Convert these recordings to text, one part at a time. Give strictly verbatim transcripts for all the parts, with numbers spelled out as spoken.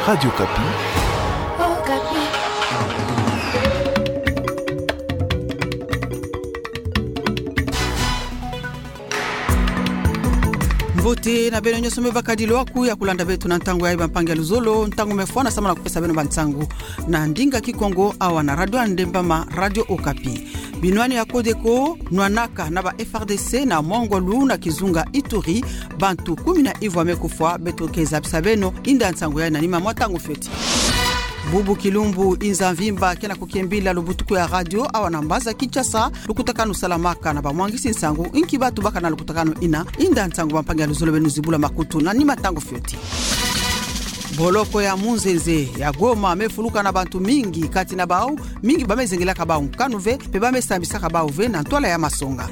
Radio Okapi. Mbote na beno nyonso me bakadi lo aku ya kulanda beto na ntangu yayi, bampangi ya luzolo. Ntangu me fwana samu na kupesa beno bansangu na ndinga Kikongo awa na Radio ya Ndembama, Radio Okapi. Binwani ya Codeco nwanaka na ba F R D C na Mont-Ngolu na kizunga Ituri, bantu kumi na ivwa me kufwa. Beto ke zabisa beno inda nsangu yayi na nima mwa ntangu fioti. Bubu kilumbu inza mvimba ke na kukiembila lubutuku ya radio awa na mbaza Kinshasa, lukutakanu salamaka na bamwangisi nsangu, inki batu baka na lukutakanu ina. Inda nsangu, bampangi ya luzolo, beno zibula makutu na nima ntangu fioti. Boloko ya munzenze ya Goma me fuluka na bantu mingi, kati na bau mingi ba me zengelaka bau nkanu ve, mpe ba me sambisaka bau ve na ntwala ya masonga.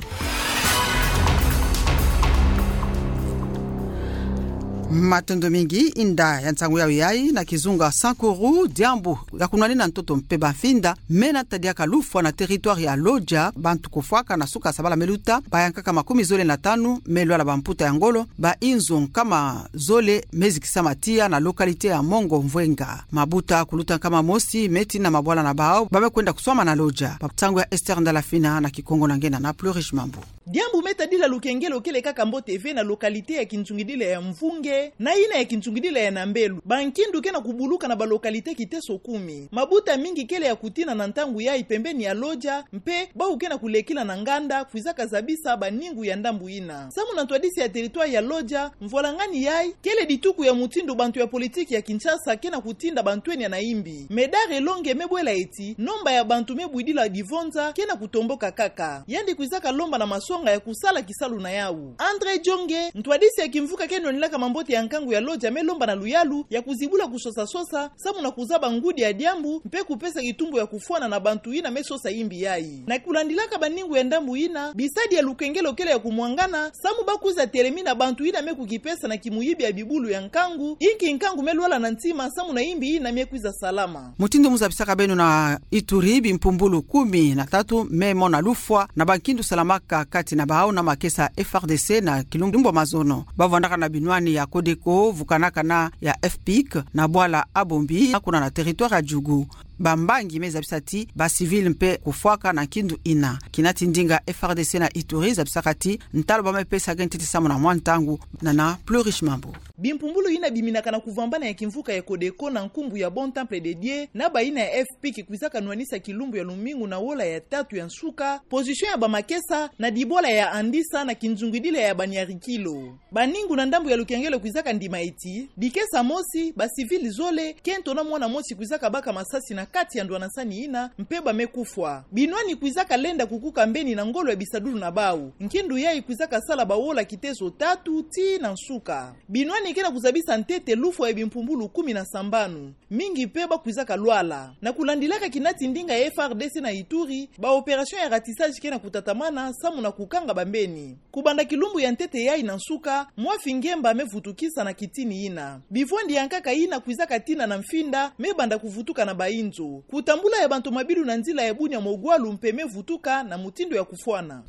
Matondo mingi, inda ya nsangu yawu yayi. Na kizunga Sankuru, diambu ya kunwanina ntoto mpe bamfinda me na tadiaka lufwa na territoire ya Lodja, bantu kufwaka na suka sabala me luta, bayankaka makumi zole na tanu me lwala bamputa ya ngolo, ba inzo nkama zole me zikisama tiya na localité ya Mongo Mvwenga. Mabuta kuluta nkama mosi me tina mabwala na bau ba me kwenda kuswama na Lodja. Bansangu ya Esther Ndalafina na Kikongo na nge Nana Pleurish Mambu. Diambu me tadila lukengelo kele kaka mbote ve na localité ya kinzungidila ya Mvunge na ina ya kinzungidila ya Nambelu. Bankindu ke na kubuluka na ba localité kiteso kumi. Mabuta mingi kele ya kutina na ntangu yayi pembeni ya Lodja, mpe bau ke na kulekila na nganda kwizaka zabisa baningu ya ndambu ina. Samu na ntwadisi ya territoire ya Lodja, mvwalangani yayi kele dituku ya mutindu bantu ya politiki ya Kinshasa ke na kutinda bantwenia na imbi. Médard Elongue me bwela ti nomba ya bantu me bwidila divonza ke na kutomboka kaka. Yandi kwizaka lomba na masonga ya kusala kisalu na yawu. André Djonge, ntwadisi ya kimvuka ke nwanilaka mambote ya nkangu ya Lodja, me lomba na luyalu ya kuzibula kusosa-sosa samu na kuzaba ngudi ya diambu mpe kupesa kitumbu ya kufwana na bantu ina me sosa imbi yayi. Na kulandilaka baningu ya ndambu ina, bisadi ya lukengelo kele ya kumwangana samu ba kwiza telemina bantu ina me kukipesa na kimuyibi ya bibulu ya nkangu, inki nkangu me lwala na ntima samu na imbi ina me kwiza salama. Mutindu mu zabisaka beno na Ituri, bimpumbulu kumi na tatu me mona lufwa na bankindu salamaka kati na bau na makesa F R D C na kilumbu ya mazono. Ba vwandaka na binwani ya Codeco vukanaka na ya F P I C na bwala Abombi, kuna na territoire ya Djugu. Bambangi me zabisa ti ba civil mpe kufwaka na nkindu ina. Kina ti ndinga F R D C na Ituri zabisaka ti ntalu ba me pesa ge ntete samu na mwa ntangu. Nana Pleurish Mambu. Bimpumbulu ina biminaka na kuvambana ya kimvuka ya Codeco na nkumbu ya Bon Temple de Dieu na ba ina ya F P I C kwizaka nwanisa kilumbu ya lumingu na wola ya tatu ya nsuka position ya bamakesa na dibwala ya Andisa na kinzungidila ya Banyarikilo. Baningu na ndambu ya lukengelo kwizaka ndima ti dikesa mosi, ba civil zole, kento na mwana mosi kwizaka baka masasi na kati ya ndwanasani ina, mpe ba me kufwa. Binwani kwizaka lenda kukuka mbeni na ngolo ya bisadulu na bau. Nkindu yayi kwizaka sala bawola kiteso tatu tii na nsuka. Binwani ke na kuzabisa ntete lufwa ya bimpumbulu kumi na sambanu. Mingi mpe ba kwizaka lwala. Na kulandilaka kina ti ndinga ya F R D C na Ituri, ba opération ya ratissage ke na kutatamana samu na kukanga bambeni. Kubanda kilumbu ya ntete yayi na nsuka, mwa fingemba me vutukisa na kitini ina. Bivwandi ya nkaka ina kwizaka tina na mfinda me banda kuvutuka na ba inzo. Kutambula ya bantu mabilu na nzila ya Bunia Mogwalu mpe me vutuka na mutindu ya kufwana.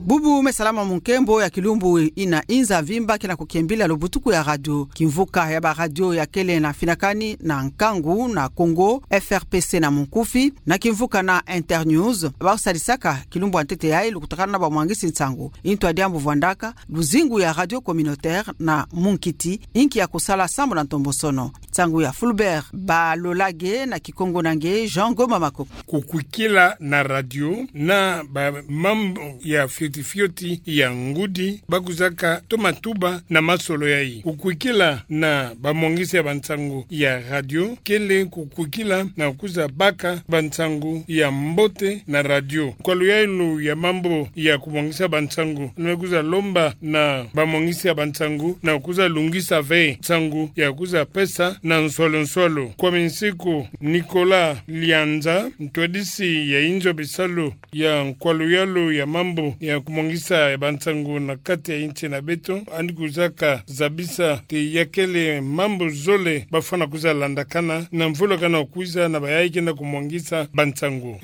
Bubu me salama mu nkembo ya kilumbu ina inza mvimba ke na kukiembila lubutuku ya radio. Kimvuka ya ba radio ya kele na finakani na nkangu na Kongo, F R P C na munkufi, na kimvuka na Internews, bau sadisaka kilumbu ya ntete yayi lukutakanu na bamwangisi nsangu. Intu ya diambu vwandaka luzingu ya radio communautaire na munkiti, inki ya kusala samu na ntombosono. Nsangu ya Fulbert Balolage na Kikongo na nge Jean Ngoma Makoko. Kukwikila na radio na ba mambu ya fioti fioti ya ngudi ba kwizaka toma tuba na masolo yayi. Kukwikila na bamwangisi ya bansangu ya radio kele kukwikila na kwiza baka bansangu ya mbote na radio. Nkwalu yayi lo ya mambu ya kumwangisa bansangu, na kwiza lomba na bamwangisi ya bansangu na kwiza lungisa ve nsangu ya kwiza pesa na nswalo nswalo. Kwa minsiku, Nicolas Lianza, ntwadisi ya inzo bisalu ya nkwalu yalu ya mambu ya kumwangisa ya bansangu na kati ya insi na beto, yandi kwizaka zabisa ti ya kele mambu zole ba fwana kwiza landakana na mvula kana kwiza na bayayi kenda kumwangisa bansangu.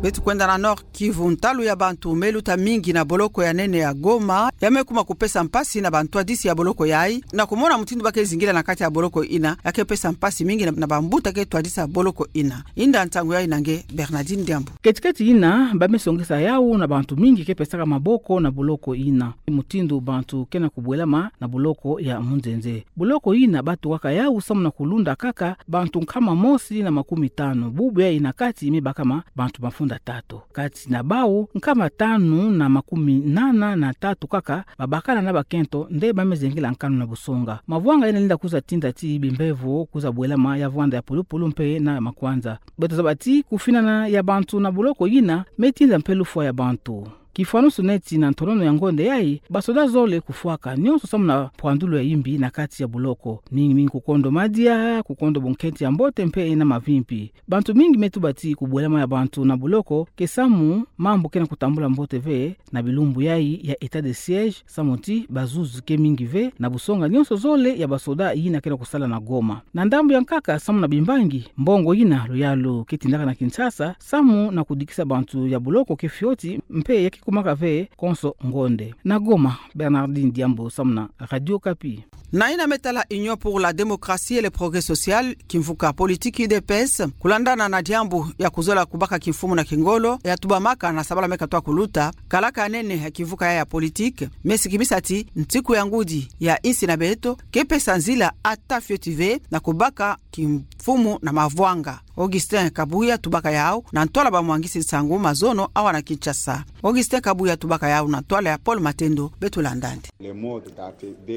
Beto kwenda na Nord-Kivu, ntalu ya bantu me luta mingi na boloko ya nene ya Goma, ya me kuma kupesa mpasi na bantwadisi ya boloko yayi, na kumona mutindu ba ke zingila na kati ya boloko yina, ya ke pesa mpasi mingi na, na bambuta ke twadisa boloko yina. Inda nsangu yayi na nge Bernardine Diambu. Keti-keti yina, ba me songesa yawu na bantu mingi ke pesaka maboko na boloko yina. Mutindu bantu ke na kubwelama na boloko ya Munzenze. Boloko yina ba tukaka yawu samu na kulunda kaka bantu nkama mosi na makumi tanu. Bubu yayi na kati me bakama bantu mafunda tatu. Kati na bawu, nkama tanu na makumi nana na tatu kaka babakana na bakento, nde ba me zengela nkanu na busonga. Mavwanga yina lenda kuza tinda ti bimbevo kuza bwelama ya vwanda ya pulupulu mpe na makwanza. Beto zaba ti kufinana ya bantu na boloko yina me tinda mpe lufwa ya bantu. Kifwanusu neti na ntonono ya ngonde yayi, basoda zole kufwaka, nionso samu na pwandulu ya yimbi na kati ya boloko. Mingi mingi kukondo madia, kukondo bunkento ya mbote mpe na mavimpi. Bantu mingi me tuba ti kubwelama ya bantu na boloko ke samu mambu ke na kutambula mbote ve na bilumbu yayi ya état de siège, samu ti bazuzi ke mingi ve na busonga nionso zole ya basoda yina ke na kusala na Goma. Na ndambu ya nkaka samu na bimbangi, mbongo yina luyalu ke tindaka na Kinshasa samu na kudikisa bantu ya boloko ke fioti mpe ya ke kumaka ve konso ngonde. Na Goma, Bernardine Diambu samu na Radio Okapi. Na yina me tala Union pour la démocratie et le progrès social, kimvuka politiki U D P S, kulandana na diambu ya kuzola kubaka kimfumu na kingolo, ya tubamaka na sabala me katwa kuluta, kalaka nene ya kimvuka yayi ya politiki me sikimisa ti nsiku ya ngudi ya insi na beto ke pesa nzila ata fioti ve na kubaka kimfumu na mavwanga. Augustin Kabuya tubaka yawu na ntwala bamwangisi nsangu mazono awa na Kinshasa. Augustin Kabuya tubaka yawu na ntwala ya Paul Matendo, beto landa yandi.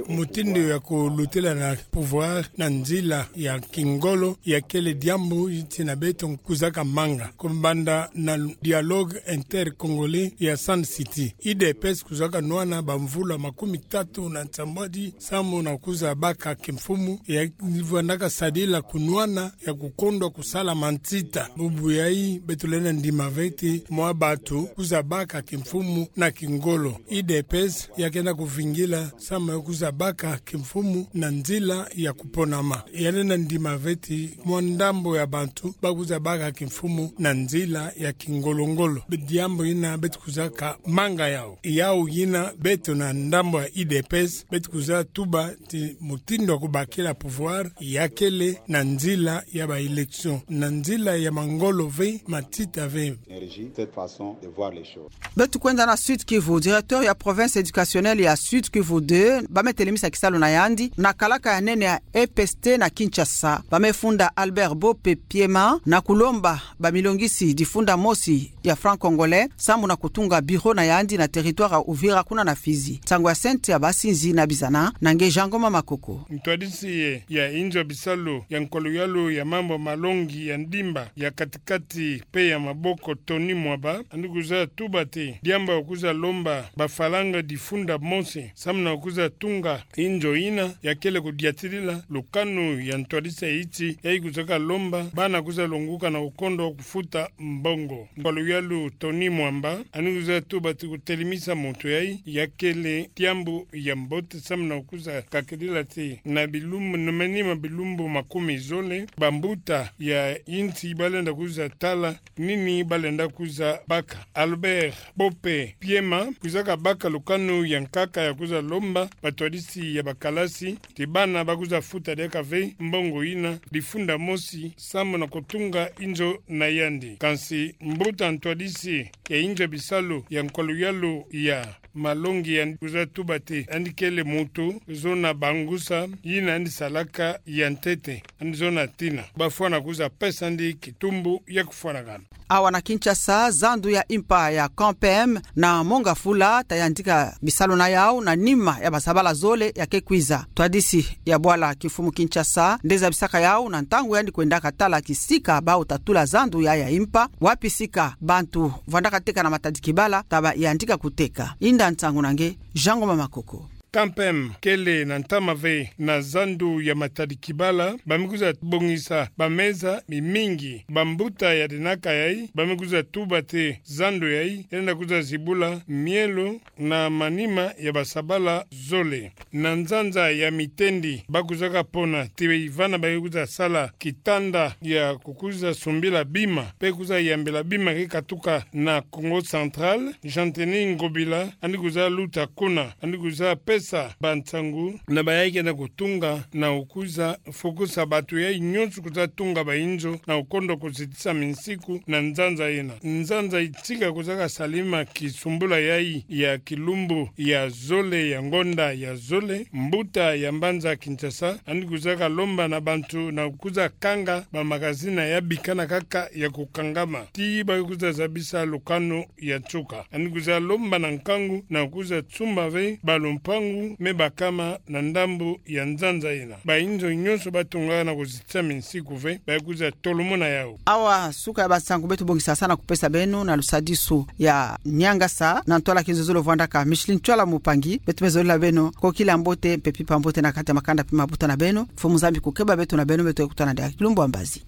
Mutindu ya kulutila na pouvoir na nzila ya kingolo ya kele diambu insi na beto kuzaka manga. Kubanda na dialogue intercongolais ya Sun City, U D P S kuzaka nwana bamvula makumi tatu na nsambwadi samu na kuza baka kimfumu, ya vwandaka sadila kunwana ya kukondwa kusala mansita. Bubu yayi beto lenda ndima ve ti mwa bantu kuza baka kimfumu na kingolo. U D P S ya kenda kuvingila samu ya kuza baka kimfumu na nzila ya kuponama. Ya lenda ndima ve ti mwa ndambu ya bantu ba kuza baka kimfumu na nzila ya kingolo-ngolo. Be diambu yina beto kuzaka manga yawu. Yawu yina beto na ndambu ya U D P S beto kuza tuba ti mutindu ya kubakila pouvoir ya kele na nzila ya ba élection, na nzila ya mangolo ve, mansita ve. Cette façon de voir les choses. Beto kwenda na Sud-Kivu, directeur ya province éducationnelle ya Sud-Kivu deux, ba me telemisa kisalu na yandi na kalaka ya nene ya E P S T na Kinshasa. Ba me funda Albert Bope Piema na kulomba bamilongisi difunda mosi ya franc-congolais samu na kutunga bureau na yandi na territoire ya Uvira kuna na Fizi. Nsangu ya Cynthia Basinzi na Bizana, na nge Jean Ngoma Makoko. Ntwadisi ye ya inzo ya bisalu ya nkwaluyalu ya mambu malongi ya ndimba ya kati-kati mpe ya maboko Tony Mwaba, yandi kuza tuba ti diambu ya kuza lomba bafalanga difunda mosi samu na kuza tunga inzo yina ya kele kudiatila lukanu ya ntwadisi ya insi, yayi kuzaka lomba bana kuza longuka na kukondwa kufuta mbongo. Nkwaluyalu Tony Mwaba, yandi kuza tuba ti kutelemisa muntu yayi ya kele diambu ya mbote samu na kuza kakidila ti na bilumbu, na manima bilumbu makumi zole, bambuta ya insi ba lenda kuza tala nini ba lenda kuza baka. Albert Bope Piema kuzaka baka lukanu ya nkaka ya kuza lomba bantwadisi ya bakalasi ti bana ba kuza futa diaka ve mbongo yina difunda mosi samu na kutunga inzo na yandi. Kansi mbuta ntwadisi ya inzo ya bisalu ya nkwaluyalu ya malongi yandi kuza tuba ti yandi kele muntu zona bangusa yina yandi salaka ya ntete, yandi zona tina. Bafwana kuza pesa yandi kitumbu ya kufwanakana. Awa na Kinshasa, zandu ya impa ya Camp P M na Mont Ngafula ta yantika bisalu na yawu na nima ya basabala zole ya ke kwiza. Ntwadisi ya bwala kimfumu Kinshasa nde zabisaka yawu na ntangu yandi kwendaka tala kisika bawu ta tula zandu yayi ya impa, wapi sika bantu vwandaka teka na matadikibala ta ba yantika kuteka. Inda nsangu na nge Jean Ngoma Makoko. Quand même, kele na ntama ve na zandu ya Matadi-Kibala, ba me kwiza bongisa bameza mimingi. Bambuta ya dinaka yayi ba me kwiza tuba te zandu yayi yenda kwiza zibula mielo na manima ya basabala zole. Na nzanza ya Mitendi, ba kwizaka pona ti bana ba kwiza sala kitanda ya kukwiza sumbila bima, pe kwiza yambila bima ke katuka na Kongo Central, Jean-Denis Ngobila, yandi kwiza luta kuna, yandi kwiza pesa bansangu na bayayi kenda kutunga na kukwiza fukusa bato yayi nyonso kwiza tunga bainzo na kukondo kuzitisa minsiku na nzanza yina. Nzanza itika kwizaka salima kisumbula yayi ya kilumbu ya zole ya ngonda ya zole, mbuta ya mbanza Kinshasa yandi kwizaka lomba na bantu na kwiza kanga bamagazini ya bikana kaka ya kukangama, ti ba kwiza zabisa lukanu ya nsuka. Yandi kwiza lomba na nkangu na kwiza sumba ve balumpangu me bakama na ndambu ya nzanza yina. Bainzo nyonso ba tunga na kuzitisa minsiku ve ba kwiza tolomona yawu. Awa suka ya bansangu beto bongisa sa na kupesa beno na lusadisu ya niangasa na ntwala Kinzuzulu vwandaka Micheline Ntsoila Mpangi. Beto me zolila beno kokila mbote mpe mpimpa mbote na kati ya makanda mpe mabuta na beno. Mfumu Nzambi kukeba beto na beno, beto kutana dia kilumbu ya mbazi.